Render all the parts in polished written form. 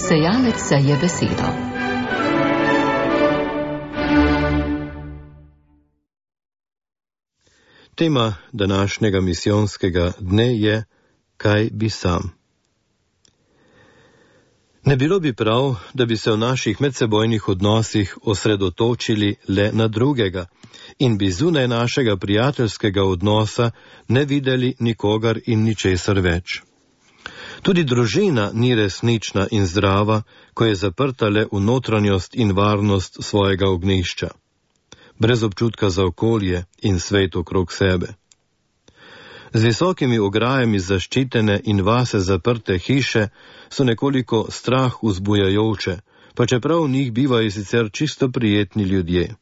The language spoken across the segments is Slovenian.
Sejalec seje besedo. Tema današnjega misijonskega dne je: kaj bi sam? Ne bilo bi prav, da bi se v naših medsebojnih odnosih osredotočili le na drugega in bi zunaj našega prijateljskega odnosa ne videli nikogar in ničesar več. Tudi družina ni resnična in zdrava, ko je zaprta le v notranjost in varnost svojega ognjišča, brez občutka za okolje in svet okrog sebe. Z visokimi ograjami zaščitene in vase zaprte hiše so nekoliko strah vzbujajoče, pa čeprav v njih bivajo sicer čisto prijetni ljudje.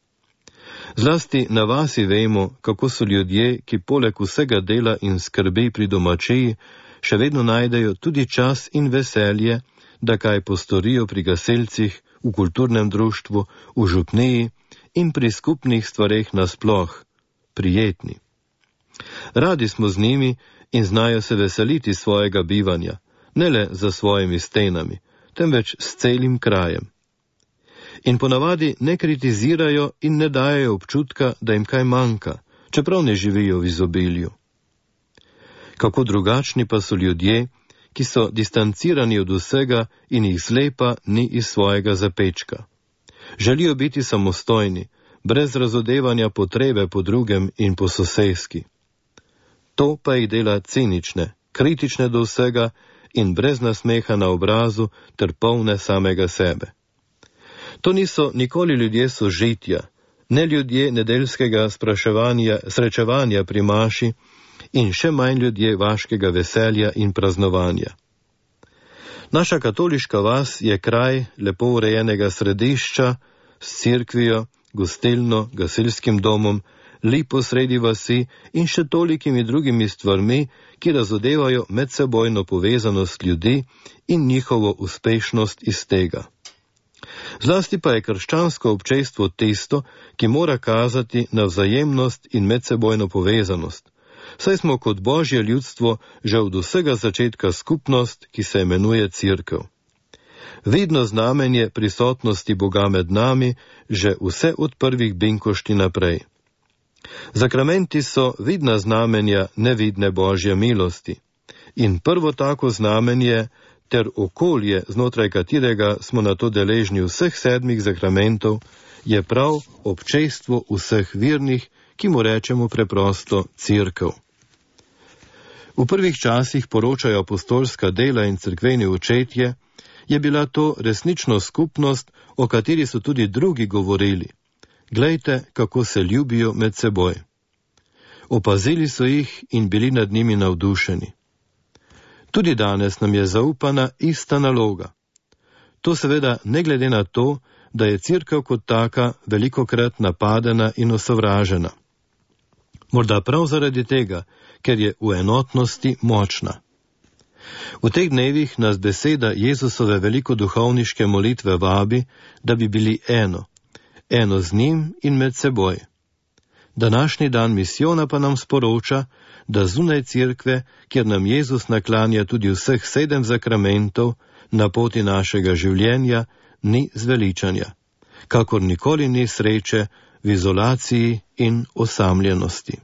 Zlasti na vasi vemo, kako so ljudje, ki poleg vsega dela in skrbi pri domačiji, še vedno najdejo tudi čas in veselje, da kaj postorijo pri gasilcih, v kulturnem društvu, v župniji in pri skupnih stvareh nasploh, prijetni. Radi smo z njimi in znajo se veseliti svojega bivanja, ne le za svojimi stenami, temveč s celim krajem. In ponavadi ne kritizirajo in ne dajejo občutka, da jim kaj manjka, čeprav ne živijo v izobilju. Kako drugačni pa so ljudje, ki so distancirani od vsega in jih zlepa ni iz svojega zapečka. Želijo biti samostojni, brez razodevanja potrebe po drugem in po soseski. To pa jih dela cinične, kritične do vsega in brez nasmeha na obrazu ter polne samega sebe. To niso nikoli ljudje sožitja, ne ljudje nedeljskega srečevanja pri maši in še manj ljudje vaškega veselja in praznovanja. Naša katoliška vas je kraj lepo urejenega središča s cerkvijo, gostilno, gasilskim domom, lipo sredi vasi in še tolikimi drugimi stvarmi, ki razodevajo medsebojno povezanost ljudi in njihovo uspešnost iz tega. Zlasti pa je krščansko občestvo tisto, ki mora kazati na vzajemnost in medsebojno povezanost, saj smo kot Božje ljudstvo že od vsega začetka skupnost, ki se imenuje Cerkev. Vidno znamenje prisotnosti Boga med nami že vse od prvih binkošti naprej. Zakramenti so vidna znamenja nevidne Božje milosti in prvo tako znamenje ter okolje, znotraj katerega smo na to deležni vseh 7 zakramentov, je prav občestvo vseh vernih, ki mu rečemo preprosto Cerkev. V prvih časih, poročajo apostolska dela in cerkveni očetje, je bila to resnično skupnost, o kateri so tudi drugi govorili. Glejte, kako se ljubijo med seboj. Opazili so jih in bili nad njimi navdušeni. Tudi danes nam je zaupana ista naloga. To seveda ne glede na to, da je Cerkev kot taka velikokrat napadena in osovražena. Morda prav zaradi tega, ker je v enotnosti močna. V teh dnevih nas beseda Jezusove velikoduhovniške molitve vabi, da bi bili eno z njim in med seboj. Današnji dan misijona pa nam sporoča, da zunaj cerkve, kjer nam Jezus naklanja tudi vseh 7 zakramentov, na poti našega življenja ni zveličanja, kakor nikoli ni sreče v izolaciji in osamljenosti.